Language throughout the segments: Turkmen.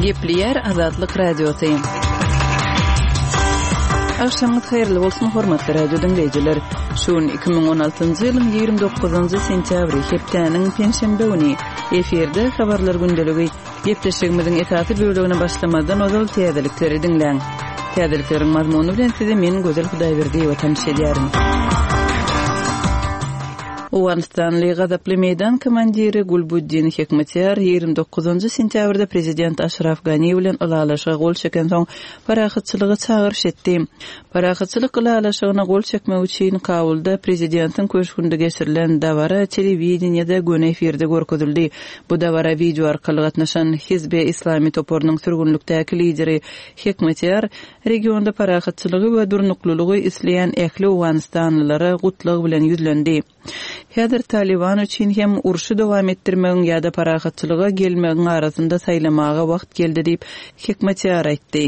Gepleýär Azatlyk Radiosy. Agşamyňyz haýyrly bolsun, hormatly radio diňleýjiler. Şu gün 2016-njy ýylyň 29-njy sentýabry, hepdäniň penşenbe güni. Efirde habarlar gündeligi. Gepleşigimiziň esasy bölegine başlamazdan ozal täzelikleri diňläň. Täzelikleriň mazmuny bilen sizi men Gözel Hudaýberdiýewa tanyş edýärin. Owganystanly gazaply meýdan komandiri Gulbuddin Hekmatyar 29-njy sentýabrda prezident Aşraf Gani bilen ylalaşyga gol çekensoň parahatçylyga çagyryş etdi. Parahatçylyk ylalaşygyna gol çekmek üçin Kabulda prezidentiň köşgünde geçirilen dabara telewideniýede göni efirde görkezildi. Bu dabara wideo arkaly gatnaşan Hizbi Islami toparynyň sürgünlikdäki lideri Hekmatyar regionda parahatçylygy we durnuklylygy isleýän ähli owganystanlylara gutlag bilen ýüzlendi. Häzir Talyban üçin hem urşy dowam etdirmegiň ýa-da parahatçylyga gelmegiň arasynda saýlamaga wagt geldi diýip, Hekmatyar aýtdy.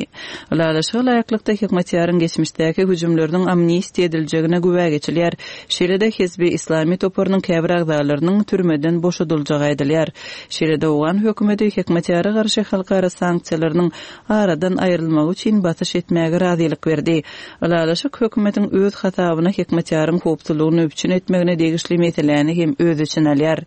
Ylalaşyga laýyklykda, Hekmatýaryň geçmişdäki hüjümleriniň amnistiýa ediljegine güwä geçilýär. Şeýle-de Hizbi Islami toparynyň käbir agzalarynyň türmeden boşadyljagy aýdylýar. Şeýle-de owgan hökümeti Hekmatýara garşy halkara sanksiýalarynyň aradan aýrylmagy üçin basyş etmäge razylyk berdi. Ylalaşyk hökümetiň öz hasabyna Hekmatýaryň howpsuzlygyny üpjün etmegine degişli meseläni hem öz içine alýar.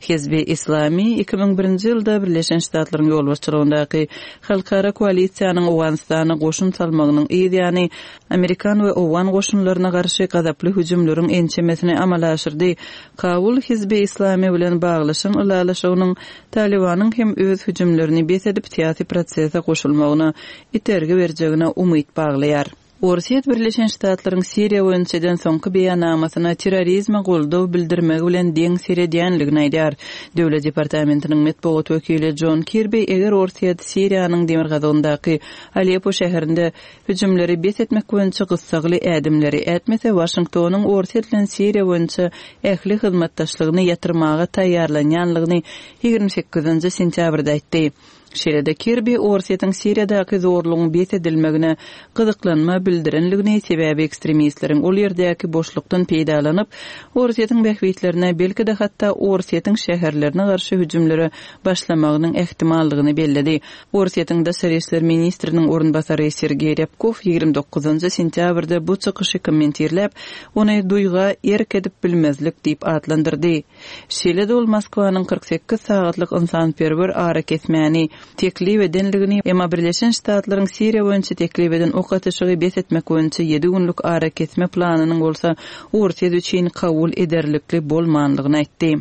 Hizbi Islami 2001-nji ýylda Birleşen Ştatlaryň ýolbaşçylygyndaky halkara koalisiýanyň Owganystana goşun salmagynyň yz ýany amerikan we owgan goşunlaryna garşy gazaply hüjümleriň ençemesini amala aşyrdy. Kabul Hizbi Islami bilen baglaşan ylalaşygynyň Talybanyň hem öz hüjümlerini bes edip syýasy prosese goşulmagyna itergi berjegine umyt baglaýar. Orsýet Birleşen Ştatlaryň Siriýa boýunça eden soňky beýannamasyna terrorizme goldaw bildirmegi bilen deň seredýänligini aýdýar. Döwlet departamentiniň metbugat wekili Jon Kirbi eger Orsýet Siriýanyň demirgazygyndaky Aleppo şäherinde hüjümleri bes etmek boýunça gyssagly ädimleri ätmese, Waşingtonyň Orsýet bilen Siriýa boýunça ähli hyzmatdaşlygyny ýatyrmaga taýýarlanýanlygyny 28-nji sentýabrda aýtdy. Şeýle-de Kirbi Orsýetiň Siriýadaky zorlugyň bes edilmegine gyzyklanma bildirenligini, sebäbi ekstremistleriň ol ýerdäki boşlukdan peýdalanyp, Orsýetiň bähbitlerine, belki-de hatda Orsýetiň şäherlerine garşy hüjümlere başlamagynyň ähtimallygyny belledi. Orsýetiň daşary işler ministriniň orunbasary Sergeý Rýabkow 29 sentýabrda bu çykyşy kommentirläp, ony duýga erk edip bilmezlik diýip atlandyrdy. Şeýle-de ol Moskwanyň 48 sagatlyk ynsanperwer arakesmäni teklip edenligini, emma Birleşen Ştatlaryň Siriýa boýunça teklip eden ok atyşygy bes etmek boýunça ýedi günlük arakesme planynyň bolsa Orsýet üçin kabul ederlikli bolmanlygyny aýtdy.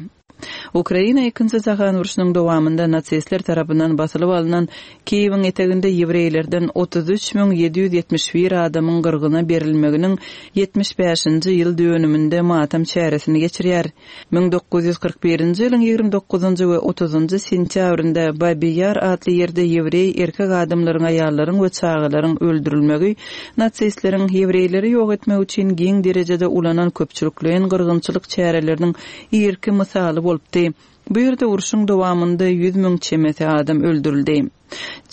Ukraina Ikinji jahan urşunyň dowamynda nasistler tarapyndan basylyp alnan Kiýewiň eteginde ýewreýlerden 33 771 adamyň gyrgyna berilmeginiň 75-nji ýyl dönüminde matam çäresini geçirýär. 1941-nji ýylyň 29-njy we 30-njy sentýabrynda Babi Ýar atly ýerde ýewreý erkek adamlaryň, aýallaryň we çagalaryň öldürilmegi nasistleriň ýewreýleri ýok etmek üçin giň derejede ulanan köpçülikleýin gyrgynçylyk çäreleriniň irki mysaly bolupdy. Bu ýerde urşuň dowamynda 100 müň çemesi adam öldürildi.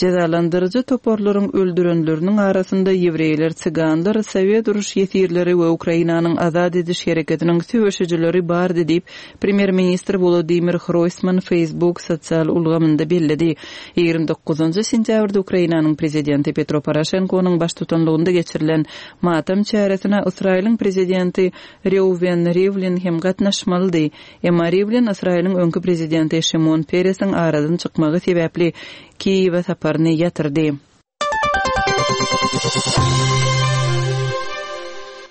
Jezalandyryjy toparlaryň öldürenleriniň arasynda ýewreýler, siganlar, sowet uruş ýesirleri we Ukrainanyň azat ediş hereketiniň söweşijileri bardy diýip, premýer-ministr Wolodymyr Hroýsman Facebook sosial ulgamynda belledi. 29 sentýabrda Ukrainanyň prezidenti Petro Poroşenkonyň baştutanlygynda geçirilen matam çäresine Ysraýylyň prezidenti Reuwen Riwlin hem gatnaşmalydy. Emma Riwlin Ysraýylyň öňki prezidenti Şimon Peresiň aradan çykmagy sebäpli Kiýewe saparyny ýatyrdy.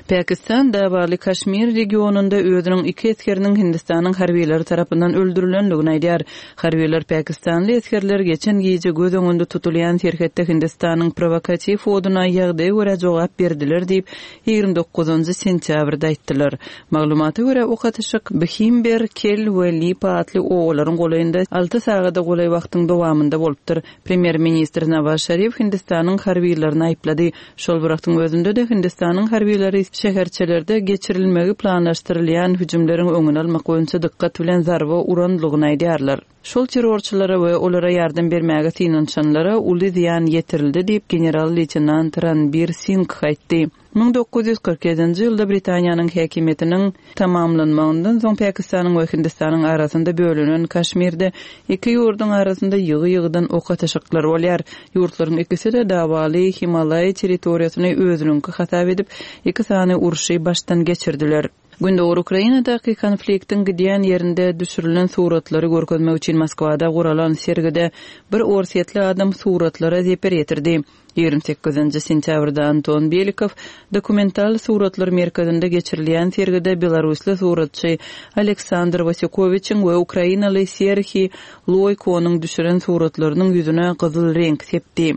Pakistan dawaly Kaşmir regionynda özüniň iki esgeriniň Hindistanyň harbylary tarapyndan öldürilendigini aýdýar. Harbylar pakistanly esgerler geçen gije göz öňünde tutulýan serhetde Hindistanyň prowokatiw oduna ýagdaýa görä jogap berdiler diýip, 29-njy sentýabrda aýtdylar. Maglumata görä, ok atyşyk Bhimber, Kel we Lipa atly obalaryň golaýynda alty sagada golaý wagtyň dowamynda bolupdyr. Premýer-ministr Nawaz Şarif Hindistanyň harbylaryny aýyplady. Şol bir wagtyň özünde-de Hindistanyň harbylary şäherçelerde geçirilmegi planlaşdyrylýan hüjümleriň öňüni almak boýunça dykgat bilen zarba uranlygyny aýdýarlar. Şol terrorçylara we olara ýardam bermäge synanyşanlara uly zyýan ýetirildi diýip, general-leýtenant Ranbir Singh aýtdy. 1947-nji ýylda Britaniýanyň häkimiýetiniň tamamlanmagyndan soň Pakistanyň we Hindistanyň arasynda bölünen Kaşmirde iki ýurduň arasynda ýygy-ýygydan ok atyşyklar bolýar. Ýurtlaryň ikisi-de dawaly Himalaý territoriýasyny özüniňki hasap edip, iki sany urşy başdan geçirdiler. Gündogar Ukrainadaky konfliktiň gidýän ýerinde düşürilen suratlary görkezmek üçin Moskwada guralan sergide bir orsýetli adam suratlara zeper ýetirdi. 28-nji sentýabrda Anton Belikow Dokumental suratlar merkezinde geçirilýän sergide belarusly suratçy Aleksandr Wasýukowiçiň we ukrainaly Serhiý Loýkonyň düşüren suratlarynyň ýüzüne gyzyl reňk sepdi.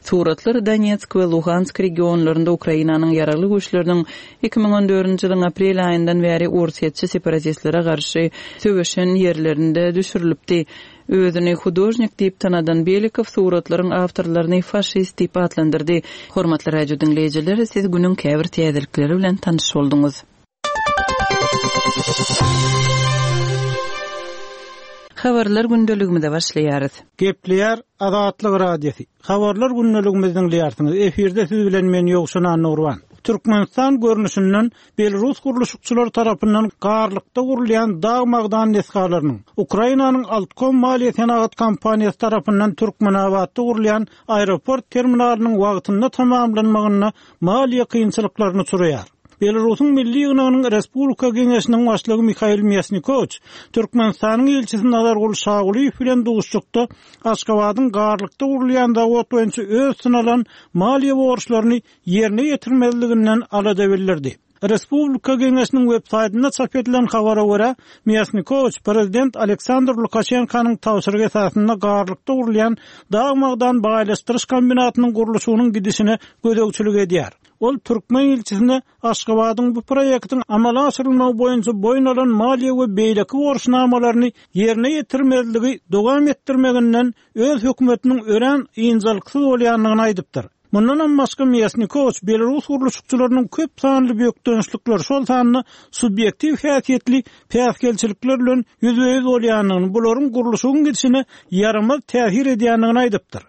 Suratlar Donetsk we Luhansk regionlarynda Ukrainanyň Ýaragly Güýçleriniň 2014-nji ýylyň aprel aýyndan bäri orsýetçi separatistlere garşy söweşen ýerlerinde düşürilipdi. Özüni hudožnik diýip tanadan Belikow suratlaryň awtorlaryny faşist diýip atlandyrdy. Hormatly radio diňleýjiler, siz günüň käbir täzelikleri bilen tanyş bolduňyz. Habarlar gündeligimize başlaýarys. Gepleýär Azatlyk Radiosy. Habarlar gündeligimizi diňleýärsiňiz. Efirde siz bilen men Ýowşan Annagurban. Türkmenistan görnüşinden Belarus gurluşykçylary tarapyndan Garlykda gurulýan dag-magdan desgalarynyň, Ukrainanyň Altkom maliýe-senagat kompaniýasy tarapyndan Türkmenabatda gurulýan aeroport terminalynyň wagtynda tamamlanmagynda maliýe kynçylyklaryna uçraýar. Belarusyň Milli ýygnagynyň Respublika Geňeşiniň başlygy Mihail Mýasnikowiç Türkmenistanyň ilçisi Nazarguly Şagulyýew bilen duşuşykda Aşgabadyň Garlykda gurulýan zawod boýunça öz üstüne alan maliýe borçlaryny ýerine ýetirmezliginden alada bildirdi. Respublika Geňeşiniň web-saýtynda çap edilen habara görä, Mýasnikowiç prezident Aleksandr Lukaşenkonyň tabşyrygy esasynda Garlykda gurulýan dag-magdan baýlaşdyryş kombinatynyň gurluşygynyň gidişine gözegçilik edýär. Ol türkmen ilçisine Aşgabadyň bu proýektiň amala aşyrylmagy boýunça boýun alan maliýe we beýleki borçnamalaryny ýerine ýetirmezligi dowam etdirmeginden öz hökümetiniň örän ynjalyksyz bolýandygyny aýdypdyr. Mundanam başga Mýasnikowiç belarus gurluşykçylarynyň köp sanly bökdençlikler, şol sanda subýektiw häsiýetli päsgelçilikler bilen ýüzbe-ýüz bolýandygyny, bularyň gurluşygyň gidişine ýaramaz täsir edýändigini aýdypdyr.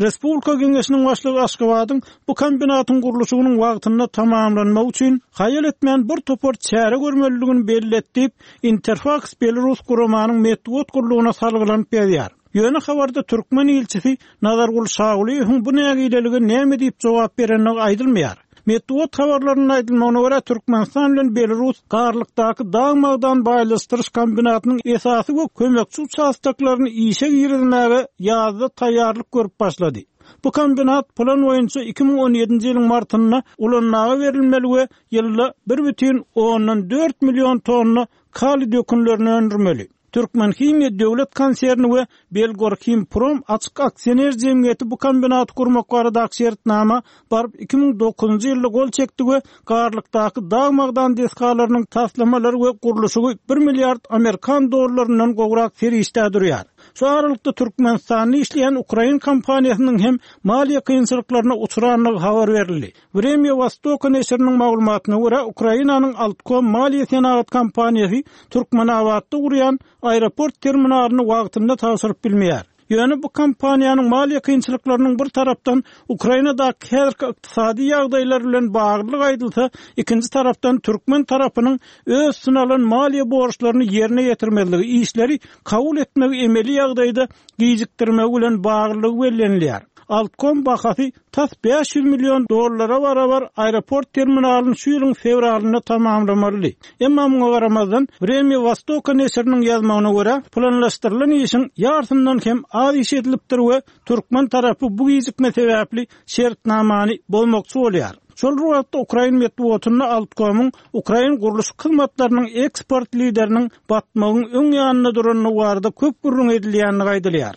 Respublika Geňeşiniň başlygy Aşgabadyň bu kombinatyň gurluşygynyň wagtynda tamamlanmagy üçin haýal etmän bir topar çäre görmelidigini belledi diýip, Interfaks belarus guramanyň metbugat gullugyna salgylanyp ýazýar. Ýöne habarda türkmen ilçisi Nazarguly Şagulyýewiň bu nägilelige näme diýip jogap berendigi aýdylmaýar. Metbugat habarlarynda aýdylmagyna görä, Türkmenistan bilen Belarus Garlykdaky dag-magdan baýlaşdyryş kombinatynyň esasy we kömekçi uçastoklaryny işe girizmäge ýazda taýýarlyk görüp başlady. Bu kombinat plan boýunça 2017-nji ýylyň martynda ulanmaga berilmeli we ýylda 1,4 million tonna kaliý dökünlerini öndürmeli. Türkmenhimiýa döwlet konserni we Belgorhimprom açyk aksioner jemgyýeti bu kombinaty gurmak baradaky şertnama baryp 2009-njy ýylda gol çekdi we Garlykdaky dag-magdan desgalarynyň taslamalary we gurluşygy bir milliard amerikan dollaryndan gowrak serişdä durýar. Şu aralykda Türkmenistanda işleýän ukrain kompaniýasynyň hem maliýe kynçylyklaryna uçrandygy habar berildi. Wremýa Wostoka neşiriniň maglumatyna görä, Ukrainanyň Altkom maliýe-senagat kompaniýasy Türkmenabatda gurýan aeroport terminalyny wagtynda tabşyryp bilmeýär. Ýöne bu kompaniýanyň maliýe kynçylyklarynyň bir tarapdan Ukrainadaky häzirki ykdysady ýagdaýlar bilen baglydygy aýdylsa, ikinji tarapdan türkmen tarapynyň öz üstüne alan maliýe borçlaryny ýerine ýetirmezligi, işleri kabul etmegi emeli ýagdaýda gijikdirmegi bilen baglydygy bellenilýär. Altkom bahasy tas 500 million dollara barabar aeroport terminalyny şu ýylyň fewralynda tamamlamalydy. Emma muňa garamazdan, Wremýa Wostoka neşiriniň ýazmagyna görä, planlaşdyrylan işiň ýarsyndan hem az iş edilipdir we türkmen tarapy bu gijikme sebäpli şertnamany bozmakçy bolýar. Şol bir wagtda, ukrain metbugatynda Altkomyň ukrain gurluşyk hyzmatlarynyň eksport lideriniň batmagyň öň ýanynda durandygy barada köp gürrüň edilýändigi aýdylýar.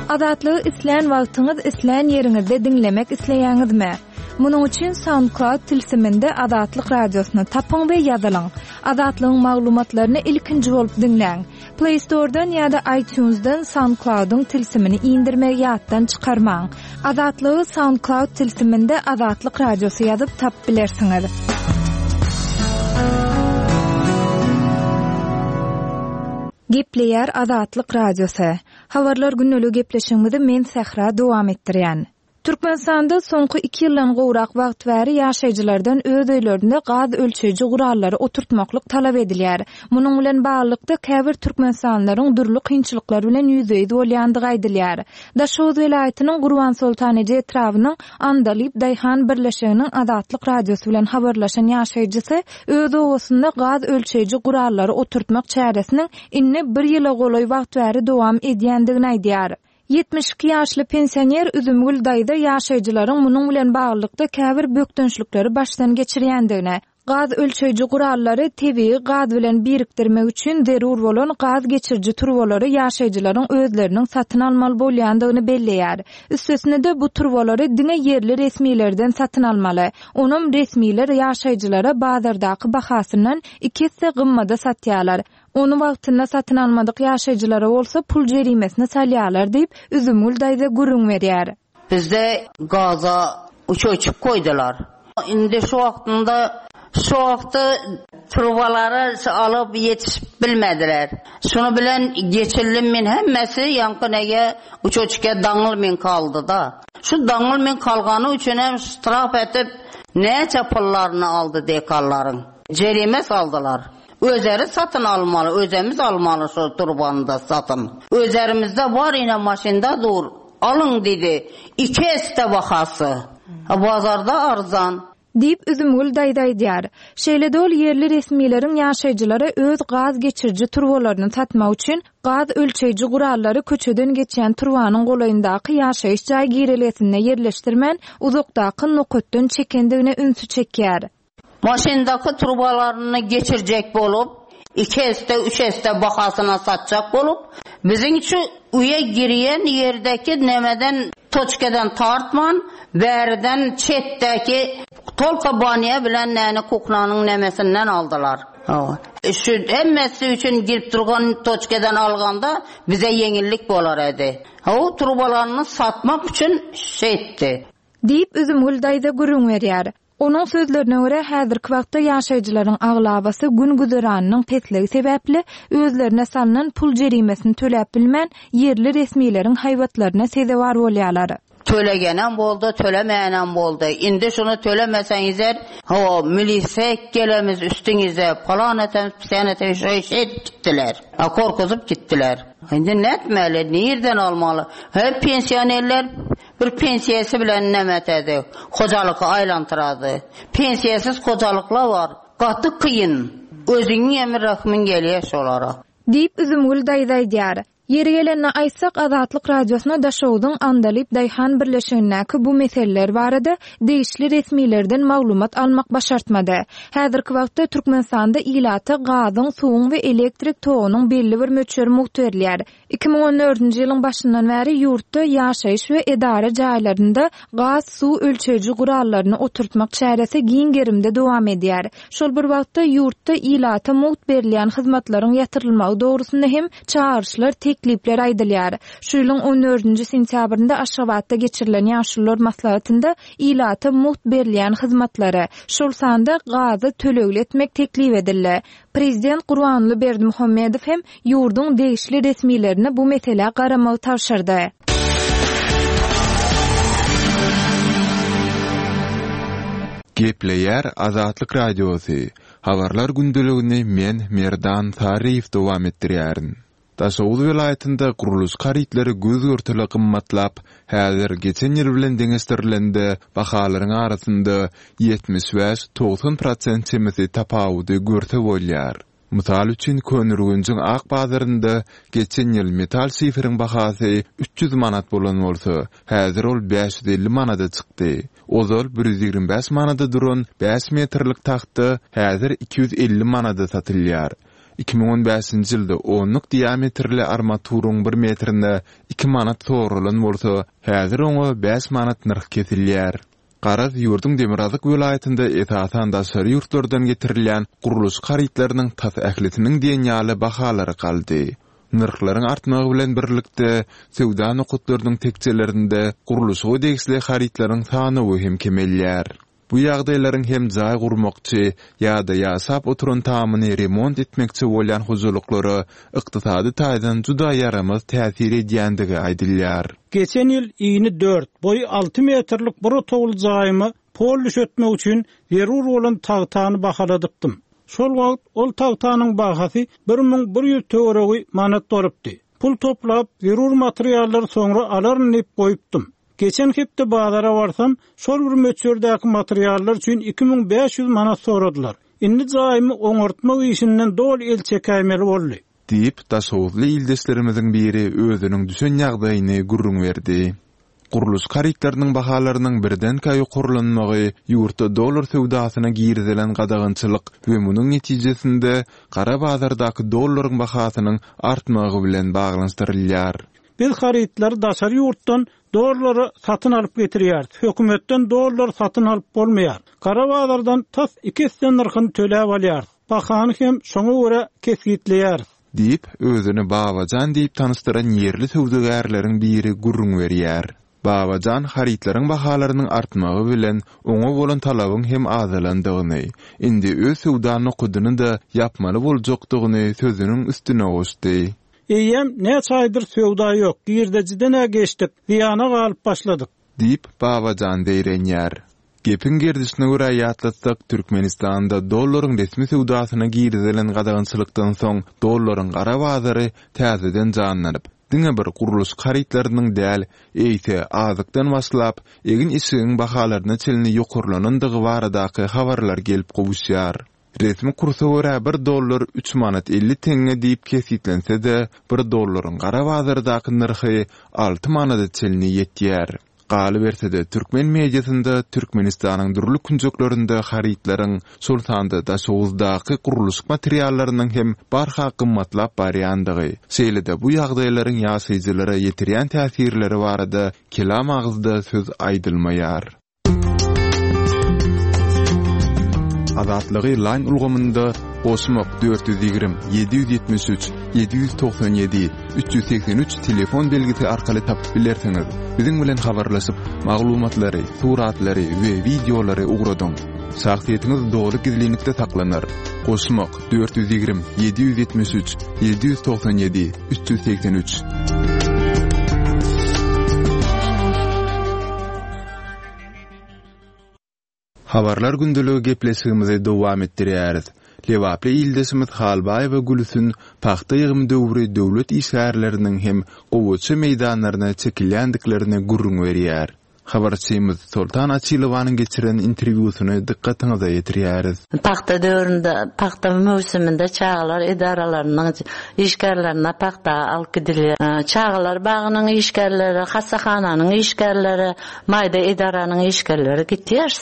Azatlygy islän wagtyňyz, islän ýeriňizde diňlemek isleýäňizmi? Munuň üçin SoundCloud tilsiminde Azatlyk Radiosyny tapyň we ýazylyň. Azatlygyň maglumatlaryny ilkinji bolup diňläň. Play Store-dan ýa-da iTunes-dan SoundCloud-yň tilsimini indirmegi ýatdan çykarmaň. Azatlygy SoundCloud tilsiminde Azatlyk Radiosy ýazyp tapyp bilersiňiz. Gepleýär Azatlyk Radiosy. Habarlar gündeligi gepleşigimizi men Sähra dowam etdirýän. Türkmenistanda soňky iki ýyldan gowrak wagt bäri ýaşaýjylardan öz öýlerinde gaz ölçeýji gurallary oturtmaklyk talap edilýär. Munuň bilen baglylykda, käbir türkmenistanlylaryň dürli kynçylyklar bilen ýüzbe-ýüz bolýandygy aýdylýar. Daşoguz welaýatynyň Gurbansoltan eje etrabynyň Andalyp daýhan birleşiginiň Azatlyk Radiosy bilen habarlaşan ýaşaýjysy öz obasynda gaz ölçeýji gurallary oturtmak çäresiniň indi bir ýyla golaý wagt bäri dowam edýändigini aýdýar. 72 ýaşly pensioner Üzümgül daýza ýaşaýjylaryň munuň bilen baglylykda käbir bökdençlikleri başdan geçirýändigini, gaz ölçeýji gurallary tebigy gaz bilen birikdirmek üçin zerur bolan gaz geçiriji turbalary ýaşaýjylaryň özleriniň satyn almaly bolýandygyny belleýär. Üstesine-de, bu turbalary diňe ýerli resmilerden satyn almaly. Onam resmiler ýaşaýjylara bazardaky bahasyndan iki esse gymmada satýarlar. Ony wagtynda satyn almadyk ýaşaýjylara bolsa pul jerimesini salýarlar diýip, Üzümgül daýza gürrüň berýär. Bizde gaza uçoçuk goýdular. Indi şu wagtynda şu wagtda turbalary alyp ýetişip bilmediler. Şuny bilen geçildim men hemmesi ýaňky nege uçoçka daňyl men kaldy-da. Şu daňyl men kalgany üçin hem ştraf etip näçe pullaryny aldy dekallaryň. Jerime saldylar. Özeri satyn almaly, özemiz almaly şo turbany-da satyn. Özerimizde bar ine maşynda dur, alyň diýdi. Iki esse bahasy. Bazarda arzan. Diýip, Üzümgül daýza aýdýar. Şeýle-de ol ýerli resmileriň ýaşaýjylara öz gaz geçiriji turbalaryny satmak üçin gaz ölçeýji gurallary köçeden geçýän turbanyň golaýyndaky ýaşaýyş jaý girelgesinde ýerleşdirmän, uzakdaky nokatdan çekendigine ünsi çekýär. Maşyndaky trubalaryny geçirjek bolup, iki esse, üç esse bahasyna satjak bolup, biziň şu öýe girýän ýerdäki nemeden, toçkadan tartman, bäriden çetdäki tolka banýa bilen näni kuhnanyň nemesinden aldylar. Hawa. Şu hemmesi üçin girip durgan toçkadan alganda bize ýeňillik bolar edi. Hawa, trubalaryny satmak üçin şeýtdi. Diýip, Üzümgül daýza gürrüň berýär. Onuň sözlerine görä, häzirki wagtda ýaşaýjylaryň aglabasy gün-güzeranynyň pesligi sebäpli, özlerine salnan pul jerimesini töläp bilmän, ýerli resmileriň haýbatlaryna sezewar bolýarlar. Tölegenem boldy, tölemänem boldy. Indi şuny tölemeseňizler, hawa, milise gelemiz üstüňize, palan etemiz, pisän etemiz, şeý şeýdip gitdiler. Gorkuzyp gitdiler. Indi nätmeli, nirden almaly? He, pensionerler Bir pensiýasy bilen neme etedi, hojalyky aýlantyrady. Pensiýasyz hojalyklar bar. Gaty kyn. Özüňiňem rehmiň gelýär şolara. Diýip, Üzümgül daýza aýdýar. Ýeri gelende aýtsak, Azatlyk Radiosyna Daşogzuň Andalyp daýhan birleşigindäki bu meseleler barada degişli resmilerden maglumat almak başartmady. Häzirki wagtda Türkmenistanda ilata gazyň, suwuň we elektrik togunyň belli bir möçberi mugt berilýär. 2014-nji ýylyň başyndan bäri ýurtda ýaşaýyş we edara jaýlarynda gaz, suw ölçeýji gurallaryny oturtmak çäresi giň gerimde dowam edýär. Şol bir wagtda, ýurtda ilata mugt berilýän hyzmatlaryň ýatyrylmagy dogrusynda hem çagyryşlar, teklipler aýdylýar. Şu ýylyň on dördünji sentýabrynda Aşgabatda geçirilen Ýaşulular maslahatynda ilata mugt berilýän hyzmatlary, şol sanda gazy tölegli etmek teklip edildi. Prezident Gurbanguly Berdimuhamedow hem ýurduň degişli resmilerine bu meselä garamagy tabşyrdy. Gepleýär Azatlyk Radiosy, Habarlar gündeligini men, Merdan Saryýew dowam etdirýärin. Daşoguz welaýatynda gurluşyk harytlary göz-görtele gymmatlap, häzir geçen ýyl bilen deňeşdirilende bahalaryň arasynda 75, 90 prosent çemesi tapawudy görse bolýar. Mysal üçin, Köneürgenjiň ak bazarynda geçen ýyl metal şiferiň bahasy 300 manat bolan bolsa, häzir ol 550 manada çykdy. Ozal 125 manada duran bäş metrlik tagta häzir 250 manada satylýar. 2015-nji ýylda onluk diametrli armaturyň bir metrine iki manat soralan bolsa, häzir oňa bäş manat nyrh kesilýär. Garaz, ýurduň demirgazyk welaýatynda esasan daşary ýurtlardan getirilýän gurluşyk harytlarynyň tas ählisiniň diýen ýaly bahalary galdy. Nyrhlaryň artmagy bilen birlikde, söwda nokatlarynyň tekjelerinde gurluşyga degişli harytlaryň sanawy hem kemelýär. Bu ýagdaýlaryň hem jaý gurmakçy ýa-da ýaşap oturan tamyny remont etmekçi bolýan hojalyklara ykdysady taýdan juda ýaramaz täsir edýändigi aýdylýar. Geçen ýyl ini dört, boýy alty metrlik bir otagly jaýyma pol düşetmek üçin zerur bolan tagtany bahaladypdym. Şol wagt ol tagtanyň bahasy 1100 töweregi manat bolupdy. Pul toplap, zerur materiallary soňra alaryn diýip goýupdym. Geçen hepde bazara barsam, şol bir möçberdäki materiallar üçin 2500 manat soradylar. Indi jaýymy oňartmak işinden doly el çekäýmeli boldy. Diýip, daşoguzly ildeşlerimiziň biri özüniň düşen ýagdaýyny gürrüň berdi. Gurluşyk harytlarynyň bahalarynyň birdenkä ýokarlanmagy ýurtda dollar söwdasyna girizilen gadagançylyk we munuň netijesinde gara bazardaky dollaryň bahasynyň artmagy bilen baglanyşdyrylýar. Biz harytlary daşary ýurtdan dollara satyn alyp getirýäris. Hökümetden dollar satyn alyp bolmaýar. Gara bazardan tas iki esse nyrhyny töläp alýarys. Bahany hem şoňa görä kesgitleýäris. Diýip, özüni Babajan diýip tanyşdyran ýerli söwdagärleriň biri gürrüň berýär. Babajan harytlaryň bahalarynyň artmagy bilen oňa bolan talabyň hem azalandygyny, indi öz söwda nokadyny-da ýapmaly boljakdygyny sözüniň üstüne goşdy. Eýýäm näçe aýdyr söwda ýok, girdejiden-ä geçdik, zyýana galyp başladyk. Diýip, Babajan zeýrenýär. Gepiň gerdişine görä ýatlatsak, Türkmenistanda dollaryň resmi söwdasyna girizilen gadagançylykdan soň dollaryň gara bazary täzeden janlanyp, diňe bir gurluşyk harytlarynyň däl, eýse, azykdan başlap, egin-eşigiň bahalaryna çenli ýokarlanandygy baradaky habarlar gelip gowuşýar. Resmi kursa görä bir dollar üç manat 50 teňňe diýip kesgitlense-de, bir dollaryň gara bazardaky nyrhy alty manada çenli ýetýär. Galyberse-de, türkmen mediasynda Türkmenistanyň dürli künjeklerinde harytlaryň, şol sanda Daşoguzdaky gurluşyk materiallarynyň hem barha gymmatlap barýandygy, şeýle-de bu ýagdaýlaryň ýaşaýjylara ýetirýän täsirleri barada kelam agyzda söz aýdylmaýar. Azatlygy Line ulgamynda goşmak 420 773 797 383 telefon belgisi arkaly tapyp bilersiňiz. Biziň bilen habarlaşyp, maglumatlary, suratlary we wideolary ugradyň. Şahsyýetiňiz doly gizlinlikde saklanar. Goşmak 420 773 797 383. Habarlar gündeligi gepleşigimizi dowam etdirýäris. Lebaply ildeşimiz Halbaýewa Gülsün pagta ýygymy döwri döwlet işgärleriniň hem gowaça meýdanlaryna çekilýändiklerini gürrüň berýär. Habarçymyz Soltan Açylowanyň geçiren interwýusyny dykgatyňyza ýetirýäris. Pagta döwründe, pagta möwsüminde çagalar edaralarynyň işgärlerine pagta alyp gidilýär. Çagalar bagynyň işgärleri, hassahananyň işgärleri, maýda edaranyň işgärleri gitýär.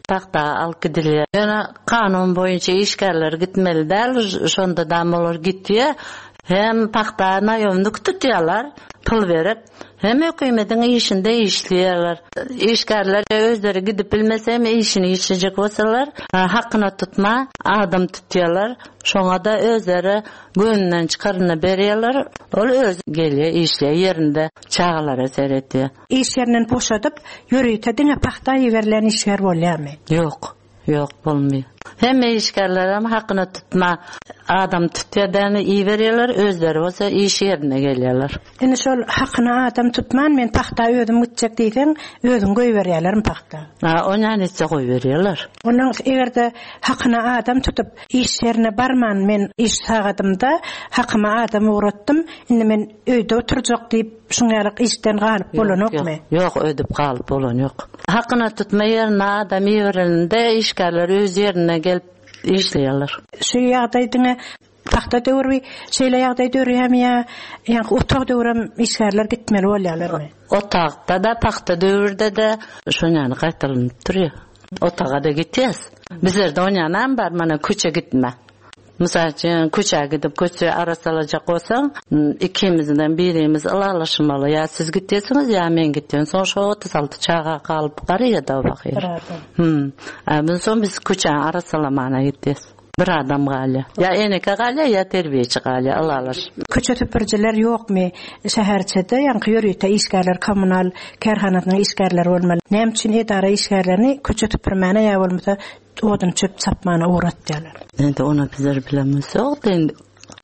Pagta alyp gidilýär. Ýöne kanun boýunça işgärler gitmeli däl, şonda-dam olar gitýär. Hem pagta naýomnik tutýarlar, pul berip. Hem hökümetiň işinde işleýärler. Işgärler özleri gidip bilmese hem işini işlejek bolsalar, hakyna tutma adam tutýarlar. Şoňa-da özleri göwnünden çykaryny berýärler. Ol özi gelýär, işleýär, ýerinde çagalara seredýär. Iş ýerinden boşadyp, ýörite diňe pagta iberilen işgär bolýarmy? Ýok. Ýok bolmaýar. Hemme işgärlerem hakyna tutma adam tutýar dämi iberýärler özleri bolsa iş ýerine gelýärler. Indi şol hakyna adam tutman men pagta özüm gitjek diýseň özüňi goýberýärlermi pagta? A onýan etse goýberýärler. Ondan egerde hakyna adam tutup iş ýerine barman men iş sagadymda hakyma adam ugratdym indi men öýde oturjak diýip Şuň ýalyk işden galyp bolanokmy? Ýok, öýdüp galyp bolan ýok. Hakyna tutma ýerine adam iberilende işgärler öz ýerine gelip işleýärler. Şu ýagdaý diňe pagta döwri şeýle ýagdaý döreýärmi ýa ýaňky otag döwrem işgärler gitmeli bolýarlarmy? Otagda-da, pagta döwürde-de şon ýaly gaýtalanyp durýar. Otaga-da gitýäs. Bizlerde onýanam bar, mana köçe gitme. Mysal üçin, köçä gidip, köçe arassalajak bolsaň, ikimizden birimiz ylalaşmaly, ýa siz gitýärsiňiz, ýa men gitýän. Soň şo 36 çaga galyp garýa-da o bakyr. Bir adam. Hüm. A biz soň biz köçäni arassalamana gitýäs. Bir adam galýar. Ýa eneke galýar, ýa terbiýeçi galýar, ylalaşyp. Köçe süpürijiler ýokmy şäherçede, ýaňky ýörite işgärler, kommunal kärhanasynyň işgärleri bolmaly. Näme üçin edara işgärlerini köçe süpürmäne ýa bolmasa odun çöp çapmana ugratýarlar? Indi ony bizler bilemizok. Indi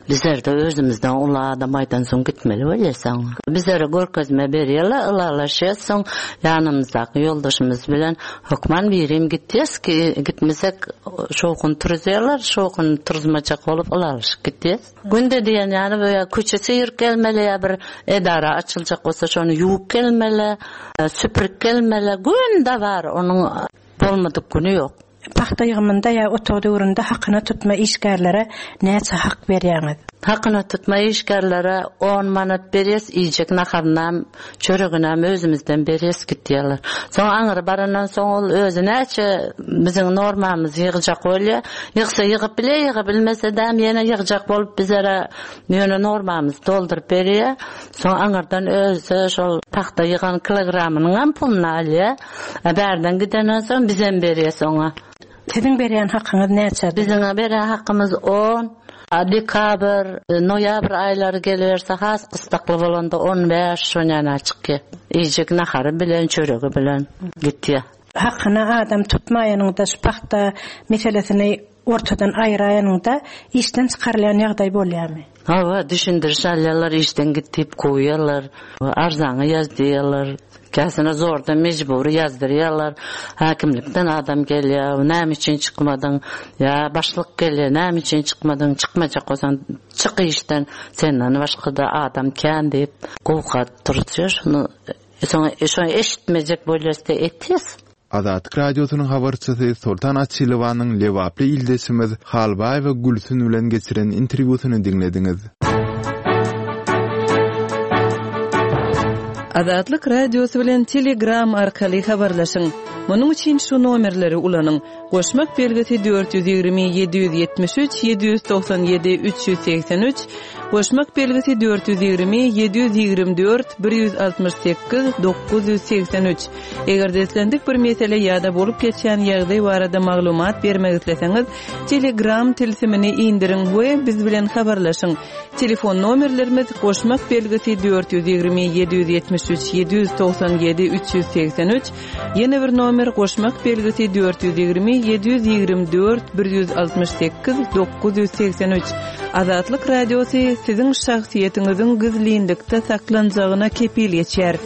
Bizlerde özümizden uly adam aýdansoň gitmeli bolýas oňa. Bizlere görkezme berýärler, ylalaşýas soň ýanymyzdaky ýoldaşymyz bilen hökman birim gitýäs ki gitmesek şowhun turuzýarlar, şowhun turuzmajak bolup ylalaşyp gitýäs. Günde diýen ýaly bu ýa köçe syryp gelmeli ýa bir edara açyljak bolsa şony ýuwup gelmeli, süpürip gelmeli günde bar onuň bolmadyk güni ýok. Pagta ýygymynda ýa otag döwründe hakyna tutma işgärlere näçe hak berýäňiz? Hakyna tutma işgärlere on manat berýäs, iýjek naharynam, çöreginem özümizden berýäs gitýärler. Soň aňry barandan soň ol özi näçe biziň normamyzy ýygjak bolýar. Ýygsa ýygyp bilýär, ýyga bilmese-däm ýene ýygjak bolup bizlere ýöne normamyzy dolduryp berýär. Soň aňyrdan özi şol pagta ýygan kilogramynyňam puluny alýar. A bärden gidenden soň bizem berýäs oňa. Siziň berýän hakyňyz näçe? Biziň berýän hakymyz on. A dekabr, noýabr aýlary geliberse has gysdakly bolanda on bäş şonýana çykýa. Iýjek nahary bilen, çöregi bilen gitýä. Hakyna adam tutmaýanyňda şu pagta meselesini ortadan aýyraýanyňda işden çykarylýan ýagdaý bolýarmy? Hawa, düşündiriş alýarlar, işden git diýip kowýarlar. Arzaňy ýaz diýýärler. Käsine zordan mejbury ýazdyrýarlar. Häkimlikden adam gelýär, näme üçin çykmadyň? Ýa başlyk gelýär, näme üçin çykmadyň? Çykmajak bolsaň, çyk işden, senden başga-da adam kän diýip, gowga turuzýar. Şony soň şony eşitmejek bolýas-da etýäs. Azatlyk Radiosynyň habarçysy Soltan Açylowanyň lebaply ildeşimiz Halbaýewa Gülsün bilen geçiren interwýusyny diňlediňiz. Azatlyk Radiosy bilen Telegram arkaly habarlaşyň. Munuň üçin şu nomerleri ulanyň, goşmak belgisi 420 773 797 383, goşmak belgisi 420 724 168 983. Eger-de islendik bir mesele ýa-da bolup geçýän ýagdaý barada maglumat bermek isleseňiz, Telegram tilsimini indiriň we biz bilen habarlaşyň. Telefon nomerlerimiz, goşmak belgisi 420 773 797 383, ýene bir nomer goşmak belgisi 420 724 168 983. Azatlyk Radiosy siziň şahsyýetiňiziň gizlinlikde saklanjagyna kepil geçýär.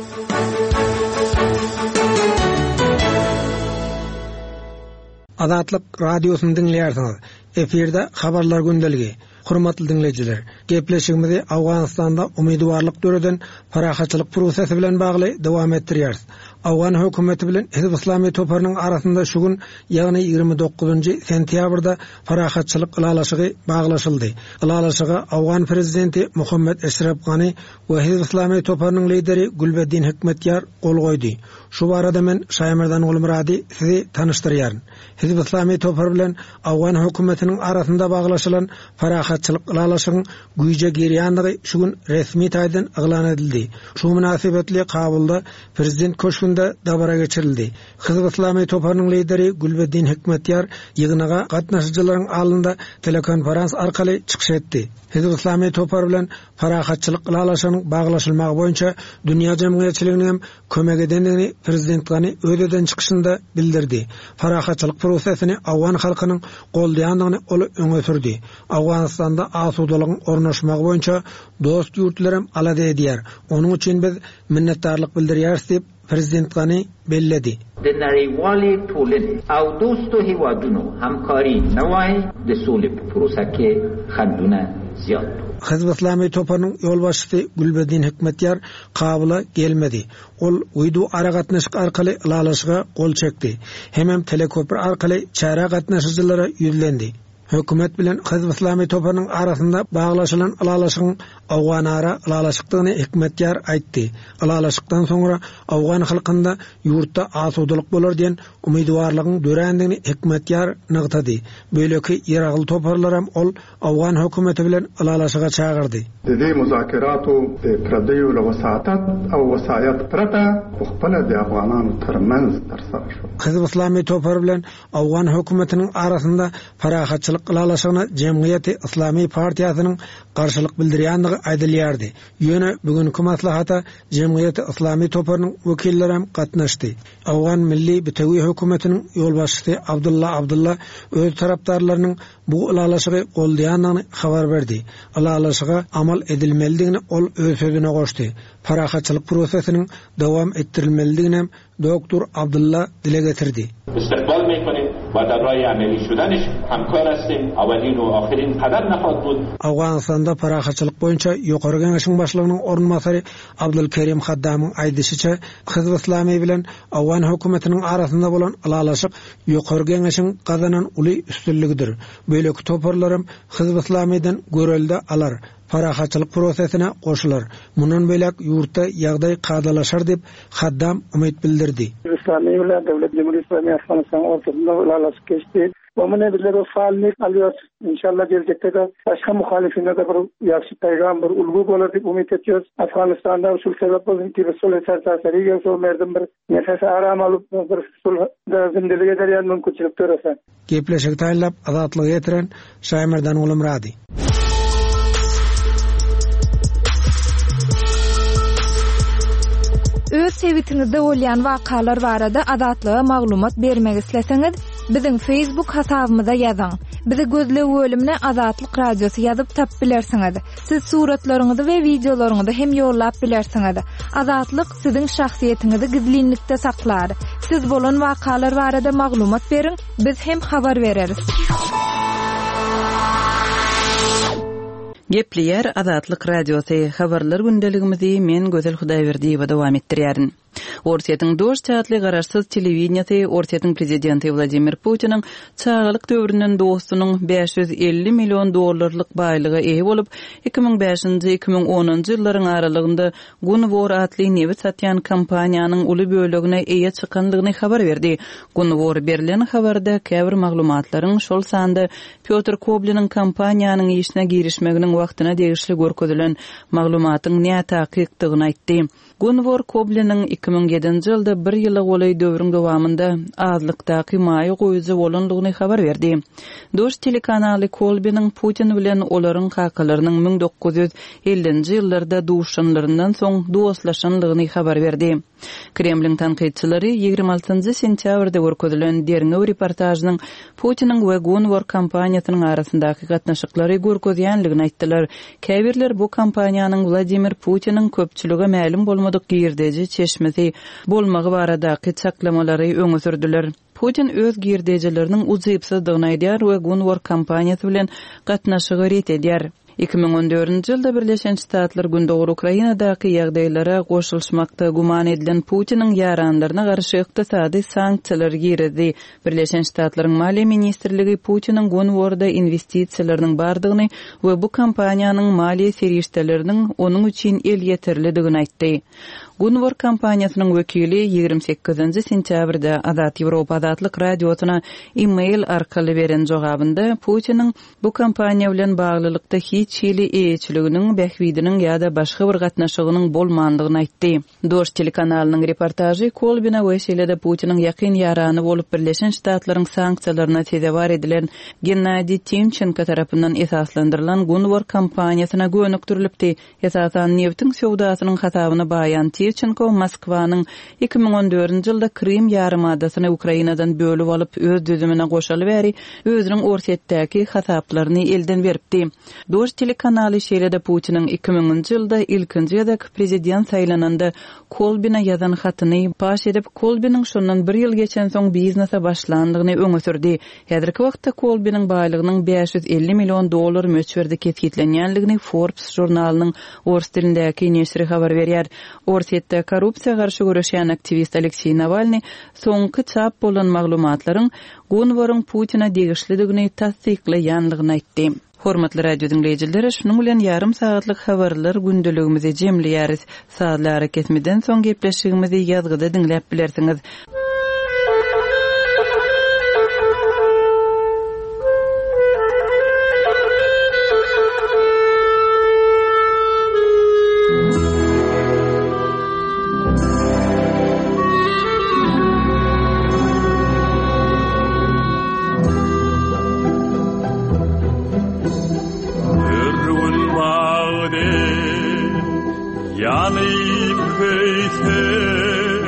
Azatlyk Radiosyny diňleýärsiňiz. Efirde Habarlar gündeligi. Hormatly diňleýjiler, gepleşigimizi Owganystanda umydywarlyk döreden parahatçylyk prosesi bilen bagly dowam etdirýäris. Owgan hökümeti bilen Hizb Yslamy toparynyň arasynda şu gün, ýagny 29-njy sentýabrda parahatçylyk ylalaşygy baglaşyldy. Ylalaşyga owgan prezidenti Muhammet Eşref Gani we Hizb Yslamy toparynyň lideri Gülbeddin Hikmetýar gol goýdy. Şu barada men Şaýmerdan Gulmyrady sizi tanyşdyrýaryn. Hizb Yslamy topary bilen owgan hökümetiniň arasynda baglaşylan parahatçylyk ylalaşygyň güýje girýändigi şu gün resmi taýdan yglan edildi. Şu mynasybetli Kabulda Prezident köşgünde dabara geçirildi. Hizb Yslamy toparynyň lideri Gülbeddin Hikmetýar ýygnaga gatnaşyjylaryň alnynda telekonferans arkaly çykyş etdi. Hizb Yslamy topary bilen parahatçylyk ylalaşygynyň baglaşylmagy boýunça dünýä jemgyýetçiliginiň hem kömek edendigini prezident Gani öz eden çykyşynda bildirdi. Parahatçylyk prosesini owgan halkynyň goldaýandygyny ol öňe sürdi. Owganystanda asudalygyň ornaşmagy boýunça dost ýurtlar hem alada edýär. Onuň üçin biz minnetdarlyk bildirýäris diýip, prezident Gani belledi. د نړیوالې ټولنې او دوستو هېوادونو همکاري نه وای، د سولې په پروسه کې خنډونه زیات وو. Hizb Yslamy toparynyň ýolbaşçysy Gülbeddin Hikmetýar Kabula gelmedi. Ol wideo aragatnaşyk arkaly ylalaşyga gol çekdi. Hemem teleköpri arkaly çärä gatnaşyjylara ýüzlendi. Hökümet bilen Hizb Yslamy toparynyň arasynda baglaşylan ylalaşygyň Owganara ylalaşykdygyny Hikmetýar aýtdy. Ylalaşykdan soňra owgan halkynda ýurtda asudalyk bolar diýen umydywarlygyň dörändigini Hikmetýar nygtady. Beýleki ýaragly toparlaram ol owgan hökümeti bilen ylalaşyga çagyrdy. د دې مذاکراتو د پردیو له وساطت او وصایت پرته په خپله د افغانانو ترمنځ ترسره شول. Hizb Yslamy topary bilen owgan hökümetiniň arasynda parahatçylyk ylalaşygyna Jemgyýeti Yslamy partiýasynyň garşylyk bildirýändigi aýdylýardy. Ýöne bu günki maslahata Jemgyýeti Yslamy toparynyň wekillerem gatnaşdy. Owgan Milli bitewi hökümetiniň ýolbaşçysy Abdylla Abdylla öz tarapdarlarynyň bu ylalaşygy goldaýandygyny habar berdi. Ylalaşyga amal edilmelidigini ol öz sözüne goşdy. Parahatçylyk prosesiniň dowam etdirilmelidiginem Doktor Abdylla dile getirdi. Istikbal mekonim we dar rahi ameli şudenş hemkar hestim, awelin we ahirin kadem nehad bud. Owganystanda parahatçylyk boýunça Ýokary Geňeşiň başlygynyň orunbasary Abdul Kerim Haddamyň aýdyşyça, Hizb Yslamy bilen owgan hökümetiniň arasynda bolan ylalaşyk Ýokary Geňeşiň gazanan uly üstünligidir. Beýleki toparlaram Hizb Yslamydan görelde alar, parahatçylyk prosesine goşular. Mundan beýläk ýurtda ýagdaý kadalaşar diýip, Haddam umyt bildirdi. Yslamy bilen Döwlet Jumhur Yslamy Afganystanyň ortasynda ylalaşyk geçdi. We muny bizler bir faalnik alýarys. Inşallah geljekde-de başga muhalifine-de bir ýagşy peýgam, bir ulgy bolar diýip umyt etýäris. Afganystanda şul sebäp bolsun ki bir sulh sertaseri gelse o merdim bir nefes aram alyp bir sulhda zindelik eder ýaly mümkinçilik dörese. Gepleşigi taýynlap Azatlyga ýetiren Şaýmerdan Gulumyrady. Öz sebitiňizde bolýan wakalar barada Azatlyga maglumat bermek isleseňiz, biziň Facebook hasabymyza ýazyň. Bizi gözleg bölümine Azatlyk Radiosy ýazyp tapyp bilersiňiz. Siz suratlaryňyzy we wideolaryňyzy hem ýollap bilersiňiz. Azatlyk siziň şahsyýetiňizi gizlinlikde saklar. Siz bolan wakalar barada maglumat beriň, biz hem habar bereris. Gepleýär Azatlyk Radiosy, Habarlar gündeligimizi men Gözel Hudaýberdiýewa dowam etdirýärin. Orsýetiň Dožd atly garaşsyz telewideniýesi Orsýetiň prezidenti Wladimir Putiniň çagalyk döwründen dostunyň 550 million dollarlyk baýlyga eýe bolup, 2005-nji, 2010-njy ýyllaryň aralygynda Gunvor atly nebit satýan kompaniýanyň uly bölegine eýe çykandygyny habar berdi. Gunvor berlen habarda käbir maglumatlaryň, şol sanda Pýotr Kobliniň kompaniýanyň işine girişmeginiň wagtyna degişli görkezilen maglumatyň nätakykdygyny aýtdy. Gunwor Kobliniň 2007-nji ýylda bir ýyla golaý döwrüň dowamynda azlykdaky maýa goýujy bolandygyny habar berdi. Dožd telekanaly Kolbiniň Putin bilen olaryň kakalarynyň 1950-nji ýyllarda duşanlaryndan soň dostlaşandygyny habar berdi. Kremliň tankytçylary 26-njy sentýabrda görkezilen derňew reportažynyň Putiniň we Gunvor kompaniýasynyň arasyndaky gatnaşyklary görkezýänligini aýtdylar. Käbirler bu kompaniýanyň Wladimir Putiniň köpçülige mälim bolmadyk girdeji çeşmesi bolmagy baradaky çaklamalary öňe sürdüler. Putin öz girdejileriniň ujypsyzdygyny aýdýar we Gunvor kompaniýasy bilen gatnaşygy ret edýär. 2014-nji ýylda Birleşen Ştatlar Gündogar Ukrainadaky ýagdaýlara goşulyşmakda güman edilen Putiniň ýaranlaryna garşy ykdysady sanksiýalary girizdi. Birleşen Ştatlaryň Maliýe ministrligi Putiniň Gunvorda inwestisiýalarynyň bardygyny we bu kompaniýanyň maliýe serişdeleriniň onuň üçin elýeterlidigini aýtdy. Gunvor kompaniýasynyň wekili 28-nji sentýabrda Azat Ýewropa Azatlyk Radiosyna e-mail arkaly beren jogabynda Putiniň bu kompaniýa bilen baglylykda hiç hili eýeçiliginiň, bähbidiniň ýa-da başga bir gatnaşygynyň bolmandygyny aýtdy. Dožd telekanalynyň reportažy Kolbina we şeýle-de Putiniň ýakyn ýarany bolup Birleşen Ştatlaryň sanksiýalaryna sezewar edilen Gennadiý Timçenko tarapyndan esaslandyrylan Gunvor kompaniýasyna gönükdirilipdi. Esasan nebtiň söwdasynyň hasabyna baýan Tirçenko Moskwanyň 2014-nji ýylda Krym ýarymadasyny Ukrainadan bölüp alyp öz düzümine goşaly bäri özüniň Orsýetdäki hasaplaryny elden beripdi. Dožd telekanaly şeýle-de Putiniň 2000-nji ýylda ilkinji gezek prezident saýlananda Kolbine ýazan hatyny paş edip, Kolbiniň şondan bir ýyl geçensoň biznese başlandygyny öňe sürdi. Häzirki wagtda Kolbiniň baýlygynyň 550 million dollar möçberde kesgitlenýändigini Forbes žurnalynyň ors dilindäki neşiri habar berýär. Orsýetde korrupsiýa garşy göreşýän aktiwist Alekseý Nawalnyý soňky çap bolan maglumatlaryň Gunworyň Putine degişlidigini tassyklaýandygyny aýtdy. Hormatly radio diňleýjiler, şunuň bilen ýarym sagatlyk habarlar gündeligimizi jemleýäris. Sazly arakesmeden soň gepleşigimizi ýazgyda diňläp bilersiňiz. Ýanyp köýsem.